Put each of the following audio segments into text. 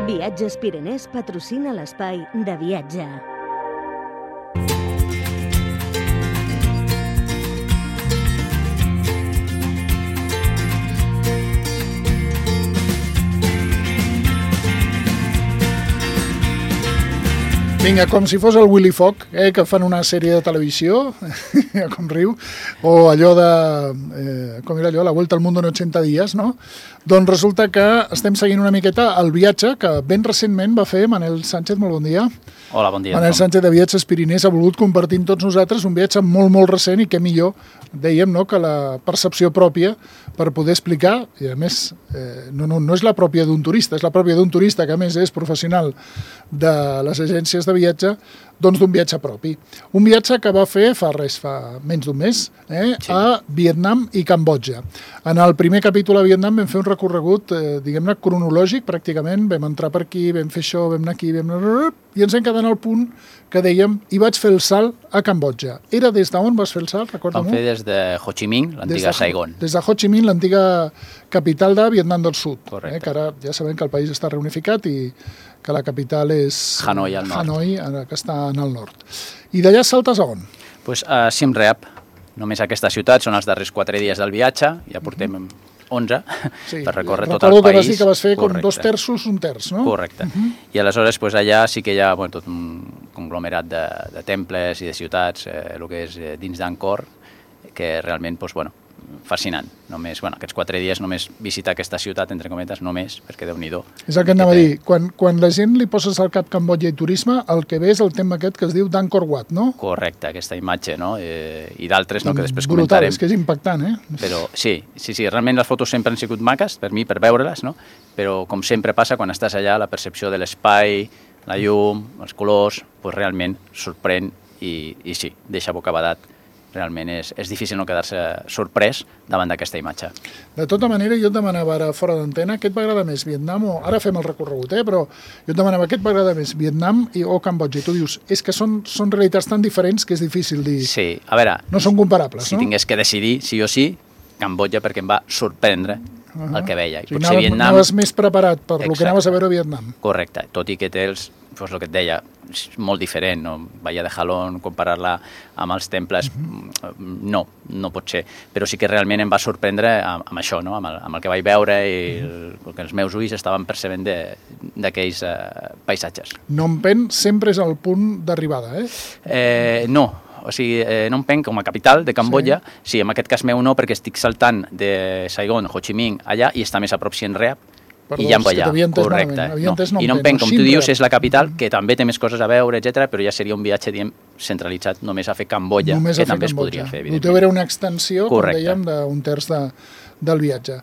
Viatges Pirenès patrocina l'espai de viatge. Vinga, com si fos el Willy Fogg, que fan una sèrie de televisió, com riu, o allò de, com era allò, La Vuelta al Mundo en 80 dies, no? Doncs resulta que estem seguint una miqueta el viatge que ben recentment va fer Manel Sánchez, molt bon dia. Hola, bon dia. Manel Sánchez de Viatges Pirinès ha volgut compartir amb tots nosaltres un viatge molt, molt recent i què millor, dèiem, no?, que la percepció pròpia per poder explicar, i a més no és la pròpia d'un turista, és la pròpia d'un turista que a més és professional de les agències de viatge, doncs d'un viatge propi. Un viatge que va fer fa menys d'un mes, sí, a Vietnam i Cambodja. En el primer capítol a Vietnam vam fer un recorregut, diguem-ne, cronològic, pràcticament. Vam entrar per aquí, vam fer això, vam anar aquí, i ens hem quedat al punt que dèiem, i vaig fer el salt a Cambodja. Era des d'on vas fer el salt, recorda-m'ho? Vam fer des de Ho Chi Minh, l'antiga Saigon. Des de Ho Chi Minh, l'antiga capital de Vietnam del Sud. Correcte. Que ara ja sabem que el país està reunificat i que la capital és Hanoi, al nord. Hanoi, que està en el nord. I d'allà saltes a on? Pues a Siem Reap. Només aquesta ciutat són els darrers 4 dies del viatge, ja portem 11 per recórrer tot el país. Recordo que vas dir que vas fer com 2 terços, 1 terç, no? Correcte. I aleshores pues, allà sí que hi ha tot un conglomerat de temples i de ciutats, el que és dins d'Angkor, que realment, pues, fascinant. Només, aquests 4 dies només visitar aquesta ciutat, entre cometes, només, perquè Déu-n'hi-do. És el que anava a dir. Quan la gent li poses al cap Cambodja i turisme, el que ve és el tema aquest que es diu d'Angkor Wat, no? Correcte, aquesta imatge, no? I d'altres, no?, que després brutal, comentarem. És que és impactant, Però sí, realment les fotos sempre han sigut maques, per mi, per veure-les, no? Però com sempre passa, quan estàs allà, la percepció de l'espai, la llum, els colors, pues realment sorprèn i sí, deixa bocabadat. Realment és difícil no quedar-se sorprès davant d'aquesta imatge. De tota manera, jo et demanava ara fora d'antena, què et va agradar més, Vietnam o... Ara fem el recorregut, però jo et demanava què et va agradar més, Vietnam o Cambodja. I tu dius, és que són realitats tan diferents que és difícil dir... Sí, a veure... No són comparables, no? Si tingués que decidir, sí o sí, Cambodja, perquè em va sorprendre el que veia. I potser Vietnam... Anaves més preparat per el que anaves a veure a Vietnam. Correcte, tot i que té el que et deia, és molt diferent, no? Bahia de Jalón, comparar-la amb els temples, no pot ser. Però sí que realment em va sorprendre amb això, no? Amb el que vaig veure i que els meus ulls estaven percebent d'aquells paisatges. Phnom Penh sempre és el punt d'arribada, No. O sigui, Phnom Penh com a capital de Cambodja, sí, en aquest cas meu no, perquè estic saltant de Saigon, Ho Chi Minh, allà, i està més a prop Siem Reap, i ja allà, correcte. I Phnom Penh, com tu dius, és la capital, que també té més coses a veure, etc, però ja seria un viatge, diguem, centralitzat només a fer Cambodja, que també es podria fer, evidentment. El teu era una extensió, com dèiem, d'un terç del viatge.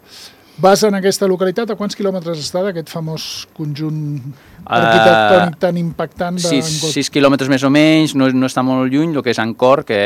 Vas en aquesta localitat, a quants quilòmetres està d'aquest famós conjunt arquitectònic tan impactant? 6 quilòmetres més o menys, no està molt lluny, el que és Angkor, que,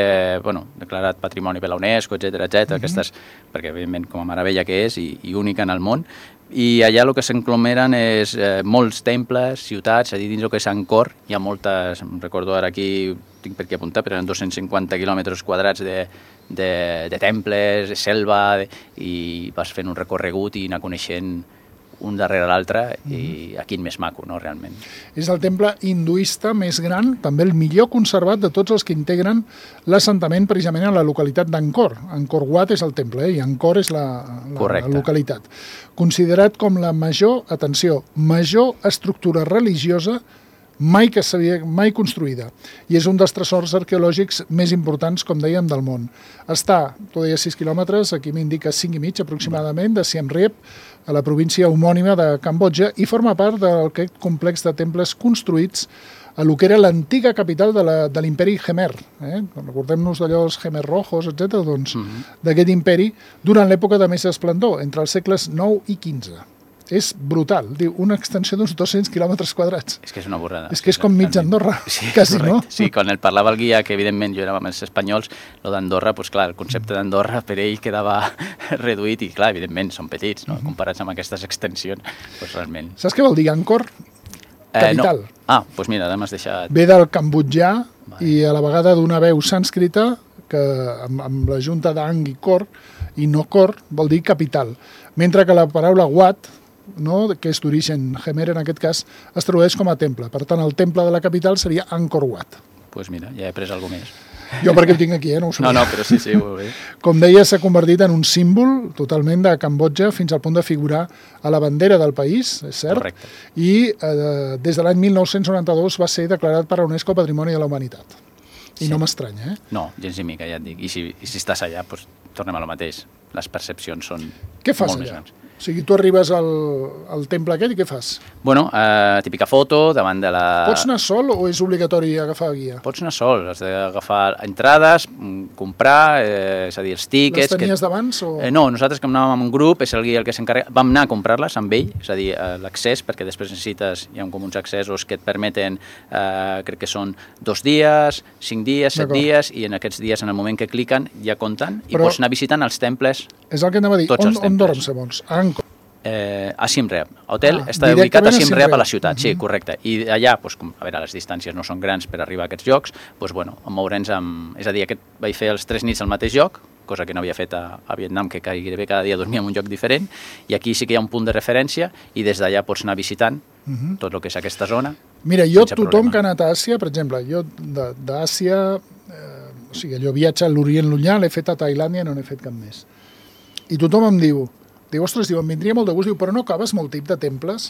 declarat Patrimoni per la UNESCO, etc, aquestes, perquè evidentment com a meravella que és i única en el món, i allà el que s'englomeren és molts temples, ciutats, és a dir, dins el que és Angkor, hi ha moltes, recordo ara aquí, tinc per aquí apuntar, però eren 250 quilòmetres quadrats de temples, de selva, i vas fent un recorregut i anar coneixent un darrere l'altre, i quin més maco, no, realment. És el temple hinduista més gran, també el millor conservat de tots els que integren l'assentament precisament a la localitat d'Angkor. Angkor Wat és el temple, i Angkor és la localitat. Considerat com la major estructura religiosa mai construïda, i és un dels tresors arqueològics més importants, com dèiem, del món. Està, tu deies 6 quilòmetres, aquí m'indica 5 i mig aproximadament, de Siem Reap, a la província homònima de Cambodja, i forma part d'aquest complex de temples construïts a lo que era l'antiga capital de l'imperi Khmer. Recordem-nos d'allò els Khmer rojos, etc., doncs, d'aquest imperi, durant l'època de més esplendor, entre els segles IX i XV. És brutal, diu, una extensió d'uns 200 quilòmetres quadrats. És que és una borrada. És que és com mig Andorra, quasi, no? Sí, quan el parlava el guia, que evidentment jo era amb els espanyols, el d'Andorra, doncs clar, el concepte d'Andorra per ell quedava reduït i clar, evidentment, són petits, no? Comparats amb aquestes extensions, doncs realment. Saps què vol dir Angkor? Capital. Doncs mira, m'has deixat... Ve del cambodjà i a la vegada d'una veu sànscrita que amb la junta d'Ang i Kor, i no Kor, vol dir capital. Mentre que la paraula Wat, no? Que és d'origen Khmer, en aquest cas, es tradueix com a temple. Per tant, el temple de la capital seria Angkor Wat. Doncs mira, ja he après alguna més. Jo perquè ho tinc aquí, no ho sabia. No, però sí, molt bé. Com deia, s'ha convertit en un símbol totalment de Cambodja fins al punt de figurar a la bandera del país, és cert? Correcte. I des de l'any 1992 va ser declarat per la UNESCO Patrimoni de la Humanitat. I no m'estranya, No, gens ni mica, ja et dic. I si estàs allà, doncs tornem a lo mateix. Les percepcions són Què fas molt allà? més grans. O sigui, tu arribes al temple aquest i què fas? Bueno, típica foto davant de la... Pots anar sol o és obligatori agafar guia? Pots anar sol, has d'agafar entrades, comprar, és a dir, els tíquets... Les tenies d'abans? O... No, nosaltres com anàvem amb un grup, és el guia el que s'encarrega, vam anar a comprar-les amb ell, és a dir, l'accés, perquè després necessites, hi ha com uns accessos que et permeten, crec que són 2 dies, 5 dies, 7 dies, i en aquests dies, en el moment que cliquen, ja compten, i pots anar visitant els temples. És el que anava a dir, on dorms, segons? A Siem Reap. L'hotel està ubicat a Siem Reap a la ciutat, sí, correcte. I allà, a veure, les distàncies no són grans per arribar a aquests llocs, moure'ns amb... És a dir, vaig fer els 3 nits al mateix lloc, cosa que no havia fet a Vietnam, que gairebé cada dia dormia en un lloc diferent, i aquí sí que hi ha un punt de referència, i des d'allà pots anar visitant tot el que és aquesta zona. Mira, jo, tothom que ha anat a Àsia, per exemple, jo d'Àsia, o sigui, allò viatge a l'Orient Llunyà, l'he fet a Tailàndia i no n'he fet cap més. I tothom em diu, ostres, em vindria molt de gust, però no acabes molt tip de temples?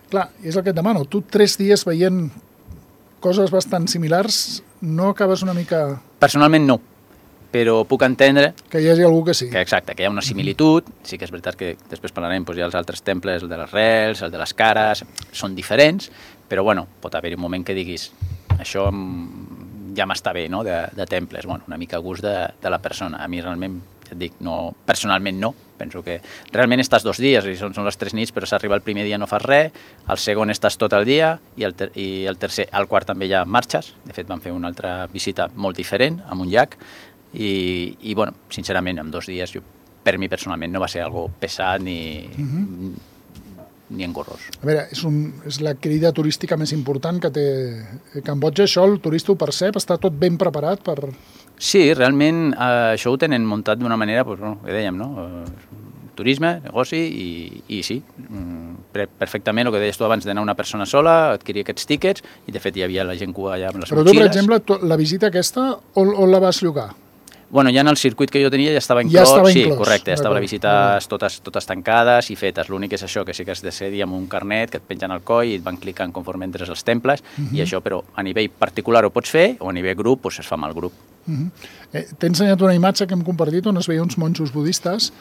Clar, és el que et demano, tu 3 dies veient coses bastant similars, no acabes una mica... Personalment no, però puc entendre... Que hi hagi algú que sí. Exacte, que hi ha una similitud, sí que és veritat que després parlarem, hi ha els altres temples, el de les rels, el de les cares, són diferents, però pot haver-hi un moment que diguis, això ja m'està bé, no?, de temples, una mica a gust de la persona. A mi realment, ja et dic, personalment no, penso que realment estàs 2 dies i són les 3 nits, però s'arriba el primer dia no fas res, el segon estàs tot el dia i el tercer, al quart també ja marxes. De fet, vam fer una altra visita molt diferent, amb un llac, i sincerament, en 2 dies, per mi personalment no va ser algo pesat ni engorrós. A veure, és la crida turística més important que té Cambodja. Això el turista ho percep? Està tot ben preparat per... Sí, realment això ho tenen muntat d'una manera, que dèiem, no? Turisme, negoci i sí, perfectament el que deies tu abans d'anar una persona sola, adquirir aquests tíquets i de fet hi havia la gent que allà amb les motxilles. Però tu, per exemple, la visita aquesta, on la vas llogar? Ja en el circuit que jo tenia ja estava inclòs. Sí, correcte, estaven les visites totes tancades i fetes. L'únic és això, que sí que has de ser amb un carnet que et pengen al coll i et van clicant conforme entres als temples, i això, però a nivell particular ho pots fer, o a nivell grup, es fa amb el grup. T'he ensenyat una imatge que hem compartit on es veia uns monjos budistes,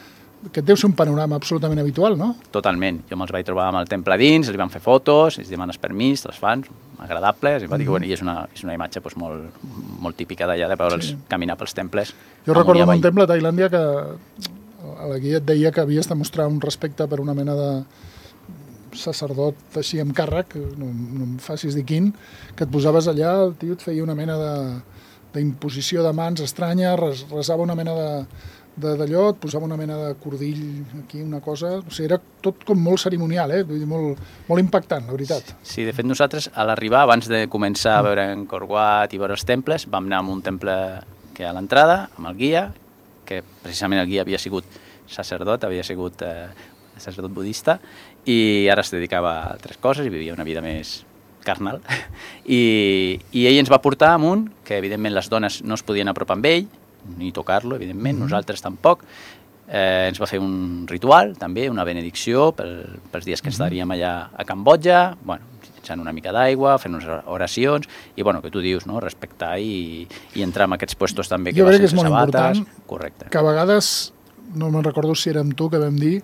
que deu ser un panorama absolutament habitual, no? Totalment. Jo me'ls vaig trobar amb el temple dins, els van fer fotos, els demanes permís, te'ls fan, agradables, i és una imatge molt típica d'allà, de veure'ls caminar pels temples. Jo recordo un temple a Tailàndia que a la guia et deia que havies de mostrar un respecte per una mena de sacerdot així amb càrrec, no em facis dir quin, que et posaves allà, el tio et feia una mena d'imposició de mans estranya, resava una mena d'allò, et posava una mena de cordill aquí, una cosa... O sigui, era tot com molt cerimonial, vull dir, molt impactant, la veritat. Sí, de fet nosaltres, a l'arribar, abans de començar a veure Angkor Wat i veure els temples, vam anar a un temple que a l'entrada, amb el guia, que precisament el guia havia sigut sacerdot, havia sigut sacerdot budista, i ara es dedicava a altres coses i vivia una vida més carnal. I ell ens va portar a un, que evidentment les dones no es podien apropar amb ell, ni tocar-lo, evidentment, nosaltres tampoc. Ens va fer un ritual, també, una benedicció pels dies que estaríem allà a Cambodja, llençant una mica d'aigua, fent unes oracions, i que tu dius, no?, respectar i entrar en aquests puestos també que va sense sabates. Correcte. Que a vegades, no me'n recordo si érem tu que vam dir,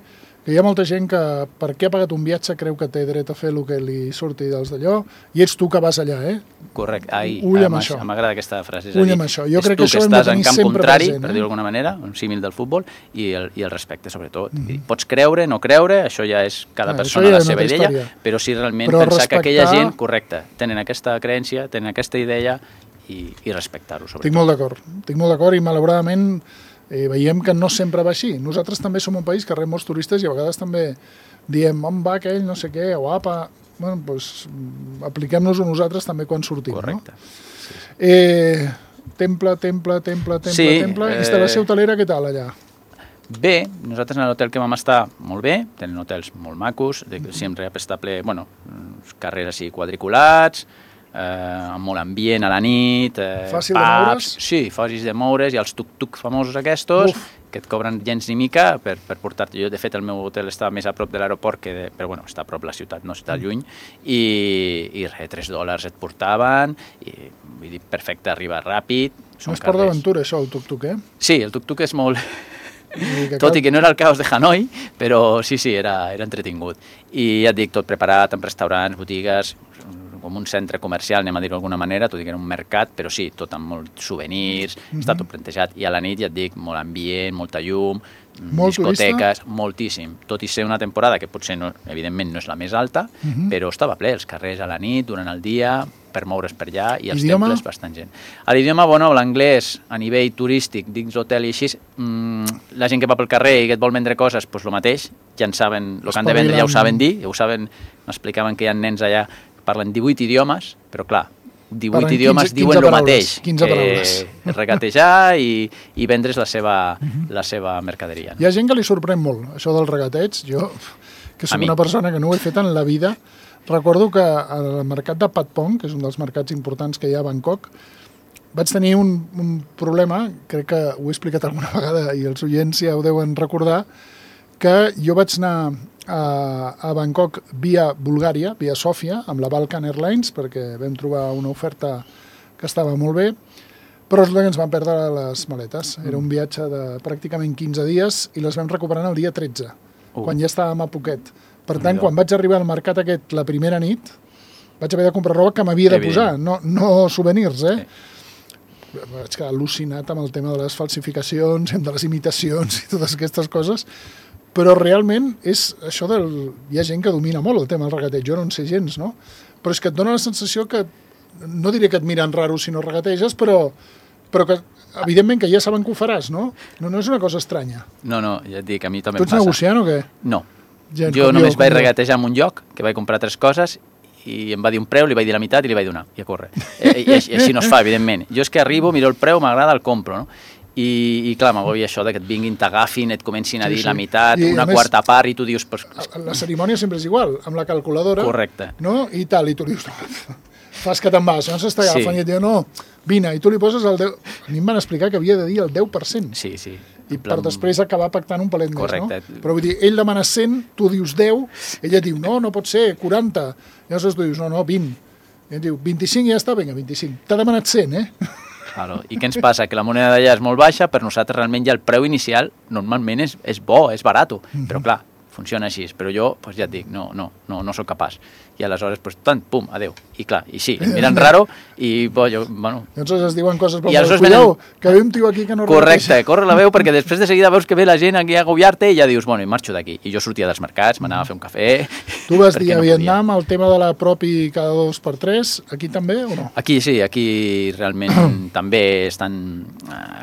que hi ha molta gent que, perquè ha pagat un viatge, creu que té dret a fer el que li surti dels d'allò, i ets tu que vas allà, Correcte. Ull amb això. M'agrada aquesta frase. Ull amb això. Jo crec que això hem de tenir sempre present. Per dir-ho d'alguna manera, un símil del futbol, i el respecte, sobretot. Pots creure, no creure, això ja és cada persona la seva idea, però sí realment pensar que aquella gent, correcte, tenen aquesta creença, tenen aquesta idea, i respectar-ho, sobretot. Estic molt d'acord, i malauradament veiem que no sempre va així. Nosaltres també som un país que rep molts turistes i a vegades també diem, on va aquell, no sé què, o apa... apliquem-nos-ho nosaltres també quan sortim. Correcte. Temple, instal·lació hotelera, què tal allà? Bé, nosaltres en l'hotel que vam estar molt bé, tenen hotels molt macos, sempre està ple, carrers així quadriculats, amb molt ambient a la nit, fàcil de moure's? Sí, fàcils de moure's, i els tuk-tuk famosos aquests, que et cobren gens ni mica per portar-te. Jo, de fet, el meu hotel estava més a prop de l'aeroport, però bueno, està a prop de la ciutat, no està lluny, i res, $3 et portaven, i vull dir, perfecte, arriba ràpid. No és part d'aventura, això, el tuk-tuk, Sí, el tuk-tuk és molt... Tot i que no era el caos de Hanoi, però sí, era entretingut. I ja et dic, tot preparat, amb restaurants, botigues, com un centre comercial, anem a dir-ho d'alguna manera, tot i que era un mercat, però sí, tot amb molts souvenirs, està tot plantejat. I a la nit, ja et dic, molt ambient, molta llum, discoteques, moltíssim. Tot i ser una temporada que potser, evidentment, no és la més alta, però estava ple, els carrers a la nit, durant el dia, per moure's per allà, i els temples bastant gent. A l'idioma, l'anglès, a nivell turístic, dins l'hotel i així, la gent que va pel carrer i que et vol vendre coses, doncs el mateix, ja en saben, el que han de vendre ja ho saben dir, ja ho saben, m'explicaven que hi ha nens allà parlen 18 idiomes, però clar, 18 idiomes diuen el mateix. 15 paraules. Regatejar i vendre's la seva mercaderia. Hi ha gent que li sorprèn molt, això del regateig. Jo, que soc una persona que no ho he fet en la vida, recordo que al mercat de Patpong, que és un dels mercats importants que hi ha a Bangkok, vaig tenir un problema, crec que ho he explicat alguna vegada i els oients ja ho deuen recordar, que jo vaig anar a Bangkok via Bulgària, via Sofia, amb la Balkan Airlines, perquè vam trobar una oferta que estava molt bé, però és que ens van perdre les maletes. Era un viatge de pràcticament 15 dies i les vam recuperar el dia 13, quan ja estàvem a Phuket. Per tant, quan vaig arribar al mercat aquest la primera nit, vaig haver de comprar roba que m'havia de posar, no souvenirs, Vaig quedar al·lucinat amb el tema de les falsificacions, de les imitacions i totes aquestes coses, però realment és això hi ha gent que domina molt el tema del regateig, jo no en sé gens, no? Però és que et dona la sensació que, no diré que et miren raro si no regateges, però que evidentment que ja saben que ho faràs, no? No és una cosa estranya. No, ja et dic, a mi també em passa. Tu ets negociant o què? No. Jo només vaig regatejar en un lloc, que vaig comprar 3 coses, i em va dir un preu, li vaig dir la meitat i li vaig donar, i a córrer. I així no es fa, evidentment. Jo és que arribo, miro el preu, m'agrada, el compro, no? I clar, m'agobia això de que et vinguin, t'agafin, et comencin a dir la meitat, una quarta part, i tu dius... La cerimònia sempre és igual, amb la calculadora. Correcte. No? I tal, i tu dius, fas que te'n vas, no s'està agafant, i et diu, no, vine, i tu li poses el 10... A mi em van explicar que havia de dir el 10%. Sí. I per després acabar pactant un palet més, no? Però vull dir, ell demana 100, tu dius 10, ella diu, no pot ser, 40. I llavors tu dius, no, 20. I ell diu, 25 i ja està, vinga, 25. T'ha demanat 100, Claro. I què ens passa? Que la moneda d'allà és molt baixa, per nosaltres realment ja el preu inicial normalment és bo, és barat, però clar, funciona així. Però jo, ja et dic, no soc capaç. I aleshores, tant, pum, adeu. I clar, i sí, em miren raro i, Llavors es diuen coses com cuidao, que ve un tio aquí que no correcte, corre la veu, perquè després de seguida veus que ve la gent aquí a agobiar-te i ja dius, i marxo d'aquí. I jo sortia dels mercats, m'anava a fer un cafè... Tu vas dir a Vietnam el tema de la propi cada 2x3, aquí també o no? Aquí sí, aquí realment també estan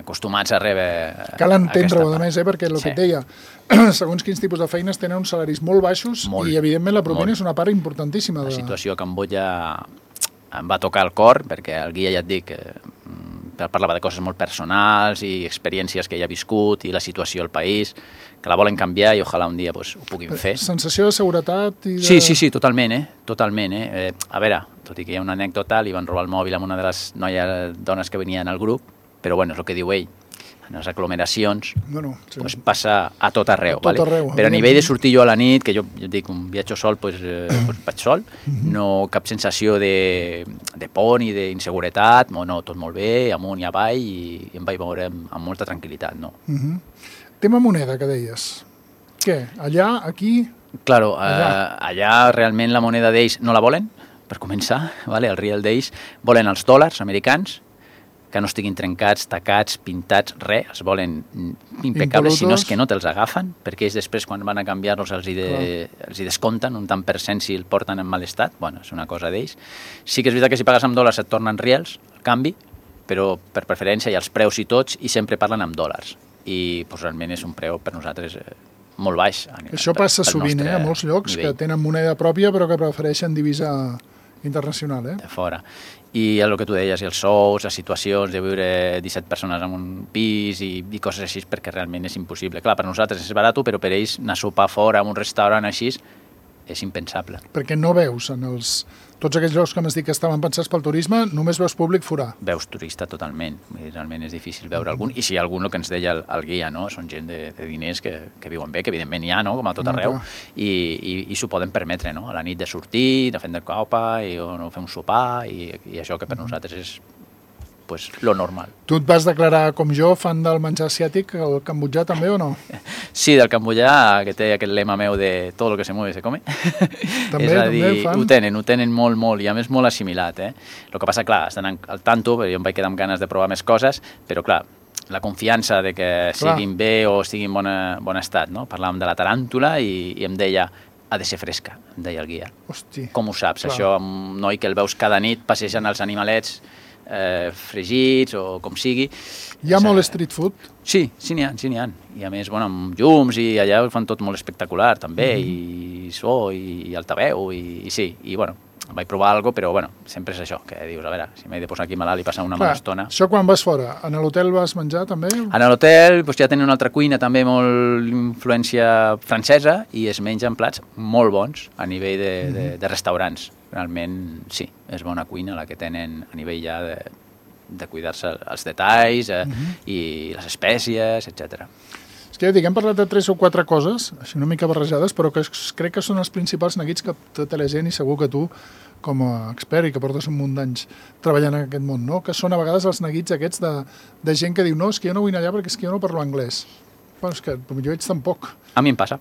acostumats a rebre... Cal entendre-ho, a més, perquè el que et deia, segons quins tipus de feines tenen uns salaris molt baixos i evidentment la propina és una part importantíssima. La situació a Cambodja em va tocar el cor, perquè el guia, ja et dic, parlava de coses molt personals i experiències que ell ha viscut i la situació al país, que la volen canviar i ojalà un dia ho puguin fer. Sensació de seguretat? Sí, totalment. A veure, tot i que hi ha una anècdota, li van robar el mòbil a una de les dones que venien al grup, però és el que diu ell. En les aglomeracions passa a tot arreu. Però a nivell de sortir jo a la nit, que jo dic, un viatge sol, vaig sol, no cap sensació de por ni d'inseguretat, tot molt bé, amunt i avall, i em vaig veure amb molta tranquil·litat. Tema moneda, que deies. Què? Allà, aquí? Claro, allà realment la moneda d'ells no la volen, per començar, el real d'ells, volen els dòlars americans, que no estiguin trencats, tacats, pintats, res, els volen impecables, si no és que no te'ls agafen, perquè ells després, quan van a canviar-los, els hi descompten un tant per cent si el porten en mal estat. És una cosa d'ells. Sí que és veritat que si pagues amb dòlars et tornen reals, el canvi, però per preferència hi ha els preus i tots, i sempre parlen amb dòlars. I realment és un preu per nosaltres molt baix. Això passa sovint, a molts llocs, que tenen moneda pròpia, però que prefereixen divisa internacional, de fora. I el que tu deies, i els sous, les situacions de viure 17 persones en un pis i coses així, perquè realment és impossible. Clar, per nosaltres és barat, però per ells anar a sopar fora en un restaurant així és impensable. Perquè no veus en tots aquells llocs que m'has dit que estaven pensats pel turisme, només veus públic forà. Veus turista totalment, realment és difícil veure algun, i si hi ha algun, el que ens deia el guia, no? Són gent de diners que viuen bé, que evidentment hi ha, no? Com a tot arreu, i s'ho poden permetre, no? A la nit de sortir, de fer copa, o fer un sopar, i això que per nosaltres és pues, lo normal. Tu et vas declarar, com jo, fan del menjar asiàtic, el cambodjà també o no? Sí, del cambodjà, que té aquest lema meu de tot el que se mueve se come. També, és a dir, fan. Ho tenen molt, i a més molt assimilat. El que passa, clar, estan al tanto, perquè jo em vaig quedar amb ganes de provar més coses, però clar, la confiança de que siguin bé o estiguin en bon estat, no? Parlàvem de la taràntula i em deia ha de ser fresca, em deia el guia. Hosti. Com ho saps, això, un noi que el veus cada nit passejant els animalets fregits o com sigui. Hi ha molt street food? Sí, n'hi ha. I a més, bueno, amb llums i allà ho fan tot molt espectacular també, i so, i altaveu, i sí, i bueno, vaig provar alguna cosa, però bueno, sempre és això, que dius, a veure, si m'he de posar aquí malalt i passar una mala estona. Això quan vas fora? En l'hotel vas menjar també? En l'hotel ja tenen una altra cuina també molt influència francesa i es mengen plats molt bons a nivell de restaurants. Realment, sí, és bona cuina la que tenen a nivell ja de cuidar-se els detalls i les espècies, etc. És que ja dic, hem parlat de 3 o 4 coses, així una mica barrejades, però que crec que són els principals neguits que tota la gent, i segur que tu, com a expert i que portes un munt d'anys treballant en aquest món, no? Que són a vegades els neguits aquests de gent que diu no, és que jo no vull anar allà perquè és que jo no parlo anglès. Bueno, és que jo ets tampoc. A mi em passa.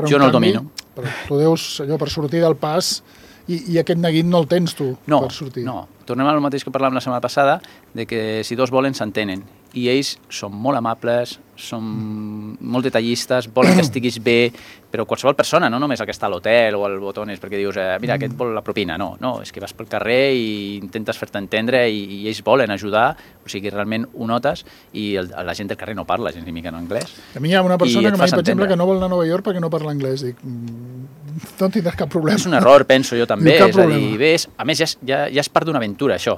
Jo no el domino. Però tu deus, allò, per sortir del pas, i aquest neguit no el tens tu per sortir. No, tornem al mateix que parlàvem la setmana passada, de que si dos volen s'entenen, i ells són molt amables, són molt detallistes, volen que estiguis bé, però qualsevol persona, no només el que està a l'hotel o al Botones, perquè dius, mira, aquest vol la propina, no, és que vas pel carrer i intentes fer-te entendre i ells volen ajudar, o sigui, realment ho notes, i la gent del carrer no parla gens ni mica en anglès. A mi hi ha una persona que m'ha dit, per exemple, que no vol anar a Nova York perquè no parla anglès, dic, no tindràs cap problema. És un error, penso jo també, és a dir, ves, a més ja és part d'una aventura, això.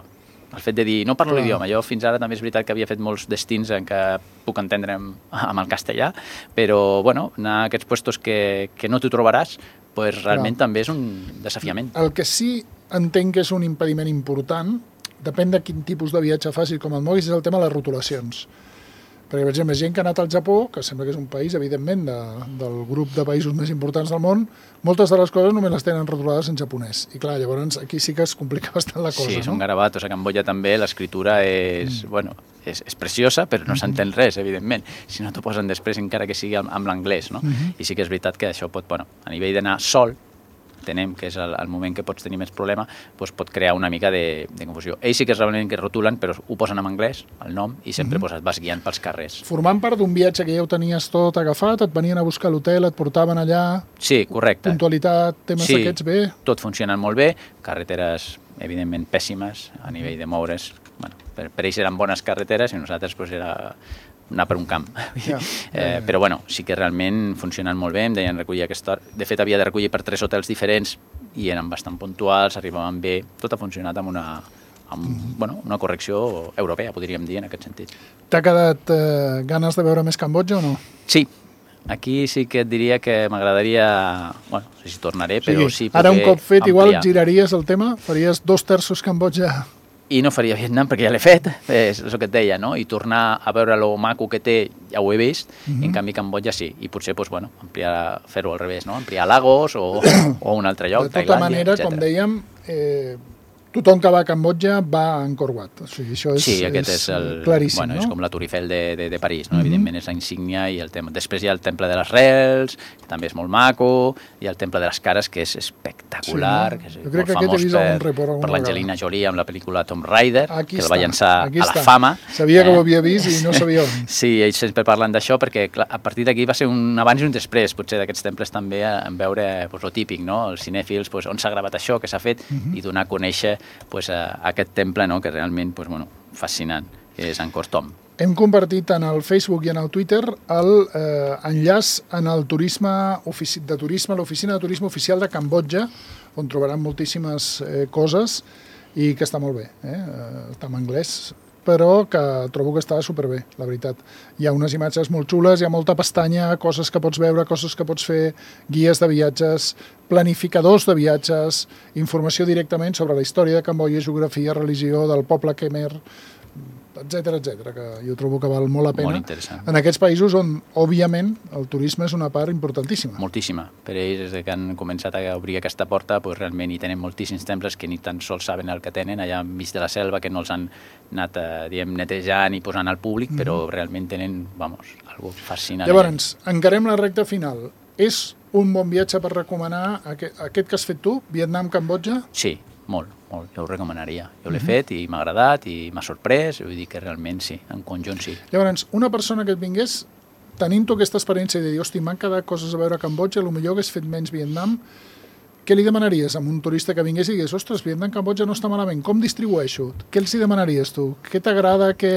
El fet de dir, no parlo l'idioma, jo fins ara també és veritat que havia fet molts destins en què puc entendre amb el castellà, però bueno, anar a aquests puestos que no t'ho trobaràs, pues, realment també és un desafiament. El que sí entenc que és un impediment important, depèn de quin tipus de viatge facis, com el moguis, és el tema de les rotulacions. Perquè, per exemple, gent que ha anat al Japó, que sembla que és un país, evidentment, del grup de països més importants del món, moltes de les coses només les tenen rotulades en japonès. I clar, llavors aquí sí que es complica bastant la cosa, sí, no? Són garabatos. A Cambodja també l'escriptura és, bueno, és preciosa, però no s'entén res, evidentment. Si no t'ho posen després, encara que sigui amb l'anglès, no? I sí que és veritat que això pot, bueno, a nivell d'anar sol, entenem que és el moment que pots tenir més problema, doncs pot crear una mica de confusió. Ells sí que és realment que rotulen, però ho posen en anglès, el nom, i sempre et vas guiant pels carrers. Formant part d'un viatge que ja ho tenies tot agafat, et venien a buscar a l'hotel, et portaven allà... Sí, correcte. Puntualitat, temes d'aquests bé... Sí, tot funciona molt bé, carreteres, evidentment, pèssimes a nivell de moure's. Bueno, per ells eren bones carreteres i nosaltres doncs, era anar per un camp. Però bueno, sí que realment funcionen molt bé, em deien recollir aquesta hora. De fet, havia de recollir per 3 hotels diferents i eren bastant puntuals, arribaven bé. Tot ha funcionat amb una correcció europea, podríem dir, en aquest sentit. T'ha quedat ganes de veure més Cambodja o no? Sí. Aquí sí que et diria que m'agradaria... Bueno, no sé si tornaré, però sí poder ara un cop fet, ampliar. igual giraries el tema? Faries 2/3 Cambodja... I no faria Vietnam perquè ja l'he fet, és el que et deia, no? I tornar a veure lo maco que té, ja ho he vist, en canvi Cambodja sí. I potser, doncs, bueno, fer-ho al revés, no? Ampliar Lagos o un altre lloc, Tailàndia, etc. De tota manera, com dèiem, tothom que va a Cambodja va a Angkor Wat. O sigui, això és, aquest és claríssim, bueno, no? És com la Tour Eiffel de París, no? Evidentment és la insígnia i el tema. Després hi ha el Temple de les Rels, que també és molt maco, i el Temple de les Cares, que és espectacular, que és molt famós per l'Angelina Jolie amb la pel·lícula Tomb Raider, que el va llançar a la fama. Sabia que ho havia vist i no sabia on. Sí, ells sempre parlen d'això perquè clar, a partir d'aquí va ser un abans i un després, potser d'aquests temples també, en veure lo típic, no? Els cinèfils, on s'ha gravat això, què s'ha fet, i donar a conèixer aquest temple, no? Que realment fascinant, és Angkor Thom. hem compartit en el Facebook i en el Twitter l'enllaç en el l'oficina de turisme oficial de Cambodja, on trobaran moltíssimes coses i que està molt bé. Està en anglès, però que trobo que està superbé, la veritat. Hi ha unes imatges molt xules, hi ha molta pestanya, coses que pots veure, coses que pots fer, guies de viatges, planificadors de viatges, informació directament sobre la història de Cambodja, geografia, religió, del poble Khmer, etcètera, que jo trobo que val molt la pena. Molt interessant. En aquests països on, òbviament, el turisme és una part importantíssima. Moltíssima. Per ells, des que han començat a obrir aquesta porta, doncs realment hi tenen moltíssims temples que ni tan sols saben el que tenen, allà enmig de la selva, que no els han anat netejant i posant al públic, però realment tenen, algo fascinant. Llavors, encarem la recta final. És un bon viatge per recomanar aquest que has fet tu, Vietnam-Cambodja? Sí, molt. Jo ho recomanaria. Jo l'he fet i m'ha agradat i m'ha sorprès, vull dir que realment sí, en conjunt sí. Llavors, una persona que et vingués tenint tu aquesta experiència de dir, hosti, m'han quedat coses a veure a Cambodja, potser hagués fet menys Vietnam, què li demanaries a un turista que vingués i digués, ostres, Vietnam, Cambodja no està malament, com distribueixo? Què els hi demanaries tu? Què t'agrada, què...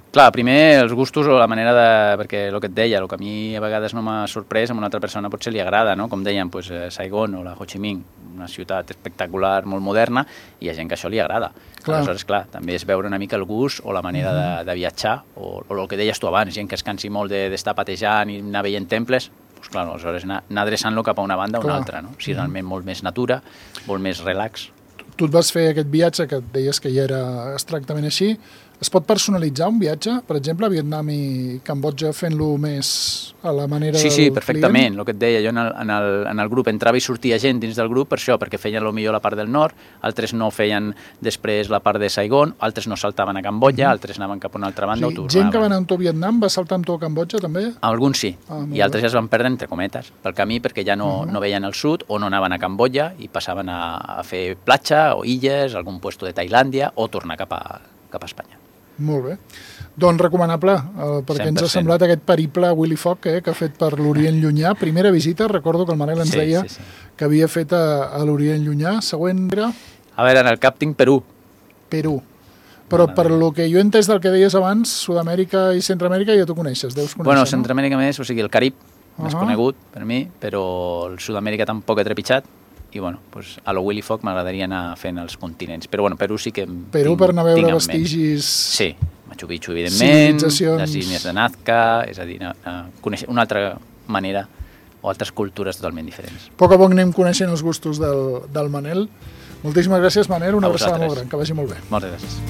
Clar, primer els gustos o la manera de... Perquè el que et deia, el que a mi a vegades no m'ha sorprès, a una altra persona potser li agrada, no? Com deien, Saigon o la Ho Chi Minh, una ciutat espectacular, molt moderna, i hi ha gent que això li agrada. Clar. Aleshores, clar, també és veure una mica el gust o la manera de viatjar, o el que deies tu abans, gent que es cansi molt d'estar patejant i anar veient temples, doncs clar, aleshores anar adreçant-lo cap a una banda o una altra, no? Si realment molt més natura, molt més relax. Tu et vas fer aquest viatge que et deies que ja era exactament així. Es pot personalitzar un viatge? Per exemple, a Vietnam i Cambodja fent-lo més a la manera del client? Sí, perfectament. El que et deia, jo en el grup entrava i sortia gent dins del grup per això, perquè feien millor la part del nord, altres no feien després la part de Saigon, altres no saltaven a Cambodja, altres anaven cap a una altra banda o tornaven. Gent que va anar amb tu a Vietnam va saltar amb tu a Cambodja també? Alguns sí, i altres ja es van perdre entre cometes pel camí perquè ja no veien el sud o no anaven a Cambodja i passaven a fer platja o illes, algun puesto de Tailàndia o tornar cap a Espanya. Molt bé. Doncs recomanable, perquè 100%. Ens ha semblat aquest periple Willy Fogg que ha fet per l'Orient Llunyà. Primera visita, recordo que el Manel ens deia que havia fet a l'Orient Llunyà. Següent era... A veure, en el cap tinc Perú. Perú. Però per lo que jo he entès del que deies abans, Sud-amèrica i Centroamèrica ja t'ho coneixes, deus conèixer, Bueno, Centroamèrica més, o sigui, el Carib, més conegut per mi, però el Sud-amèrica tampoc he trepitjat. I bueno, pues a lo Willy Fogg m'agradaria anar fent els continents. Però bueno, Perú sí que Perú per anar a veure vestigis... Sí, Machu Picchu, evidentment, civilitzacions... les línies de Nazca, és a dir, conèixer una altra manera o altres cultures totalment diferents. A poc a poc anem coneixent els gustos del Manel. Moltíssimes gràcies, Manel, una abraçada molt gran, que vagi molt bé. Moltes gràcies.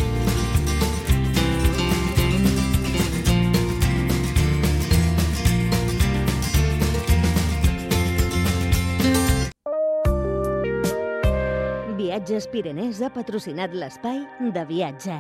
Viatges Pirenès ha patrocinat l'espai de viatge.